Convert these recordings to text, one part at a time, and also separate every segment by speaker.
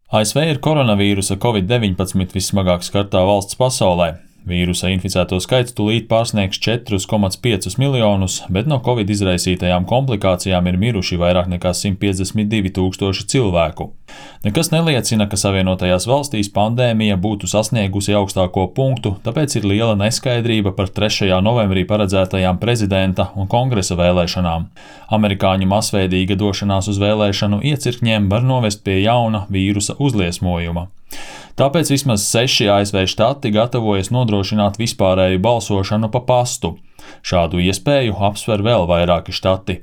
Speaker 1: ASV ir koronavīrusa Covid-19 vissmagāk skartā valsts pasaulē. Vīrusa inficēto skaits tūlīt pārsniegs 4,5 miljonus, bet no Covid izraisītajām komplikācijām ir miruši vairāk nekā 152 tūkstoši cilvēku. Nekas neliecina, ka Savienotajās valstīs pandēmija būtu sasniegusi augstāko punktu, tāpēc ir liela neskaidrība par 3. novembrī paredzētajām prezidenta un kongresa vēlēšanām. Amerikāņu masveidīga došanās uz vēlēšanu iecirkņiem var novest pie jauna vīrusa uzliesmojuma. Tāpēc vismaz 6 ASV štati gatavojas nodrošināt vispārēju balsošanu pa pastu. Šādu iespēju apsver vēl vairāki štati.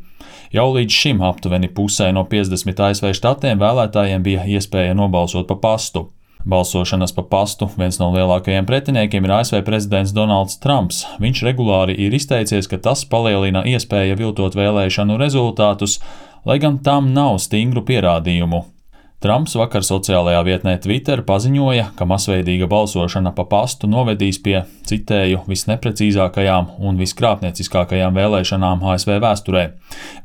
Speaker 1: Jau līdz šim aptuveni pusē no 50 ASV štatiem vēlētājiem bija iespēja nobalsot pa pastu. Balsošanas pa pastu viens no lielākajiem pretiniekiem ir ASV prezidents Donalds Trumps. Viņš regulāri ir izteicies, ka tas palielina iespēju viltot vēlēšanu rezultātus, lai gan tam nav stingru pierādījumu. Trumps vakar sociālajā vietnē Twitter paziņoja, ka masveidīga balsošana pa pastu novedīs pie, citēju, visneprecīzākajām un viskrāpnieciskākajām vēlēšanām ASV vēsturē.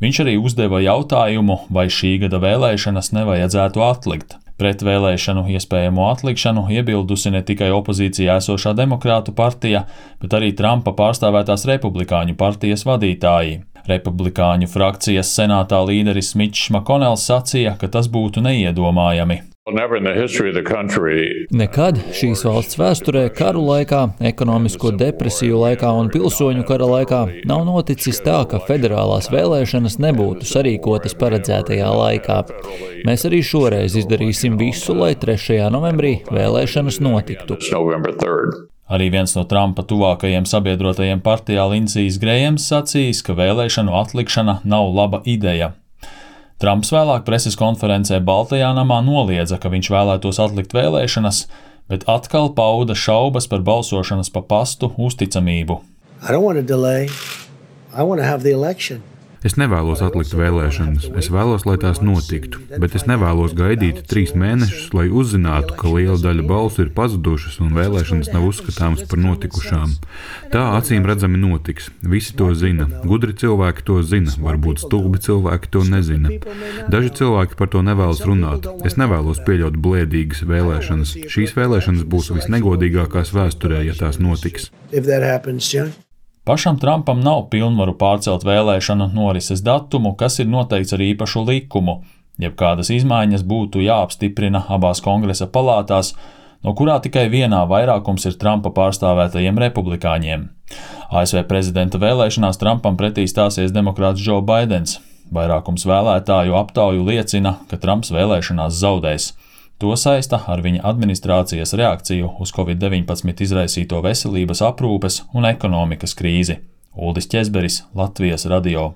Speaker 1: Viņš arī uzdeva jautājumu, vai šī gada vēlēšanas nevajadzētu atlikt. Pret vēlēšanu iespējamo atlikšanu iebildusi ne tikai opozīcijā esošā Demokrātu partija, bet arī Trumpa pārstāvētās Republikāņu partijas vadītāji. Republikāņu frakcijas senātā līderis Mitčs Makonels sacīja, ka tas būtu neiedomājami.
Speaker 2: Nekad šīs valsts vēsturē, karu laikā, ekonomisko depresiju laikā un pilsoņu kara laikā nav noticis tā, ka federālās vēlēšanas nebūtu sarīkotas paredzētajā laikā. Mēs arī šoreiz izdarīsim visu, lai 3. novembrī vēlēšanas notiktu.
Speaker 1: Arī viens no Trumpa tuvākajiem sabiedrotajiem partijā Lindsijs Grējams sacījis, ka vēlēšanu atlikšana nav laba ideja. Trumps vēlāk preses konferencē Baltajā namā noliedza, ka viņš vēlētos atlikt vēlēšanas, bet atkal pauda šaubas par balsošanas pa pastu uzticamību.
Speaker 3: Es nevēlos atlikt vēlēšanas, es vēlos, lai tās notiktu, bet es nevēlos gaidīt 3 mēnešus, lai uzzinātu, ka liela daļa balsu ir pazudušas un vēlēšanas nav uzskatāmas par notikušām. Tā acīm redzami notiks, visi to zina, gudri cilvēki to zina, varbūt stulbi cilvēki to nezina. Daži cilvēki par to nevēlas runāt, es nevēlos pieļaut blēdīgas vēlēšanas. Šīs vēlēšanas būs visnegodīgākās vēsturē, ja tās notiks.
Speaker 1: Pašam Trumpam nav pilnvaru pārcelt vēlēšanu norises datumu, kas ir noteikts ar īpašu likumu. Jebkādas izmaiņas būtu jāapstiprina abās kongresa palātās, no kurā tikai vienā vairākums ir Trumpa pārstāvētajiem republikāņiem. ASV prezidenta vēlēšanās Trumpam pretī stāsies demokrāts Joe Baidens. Vairākums vēlētāju aptauju liecina, ka Trumps vēlēšanās zaudēs. To saista ar viņa administrācijas reakciju uz Covid-19 izraisīto veselības aprūpes un ekonomikas krīzi. Uldis Ķezberis, Latvijas radio.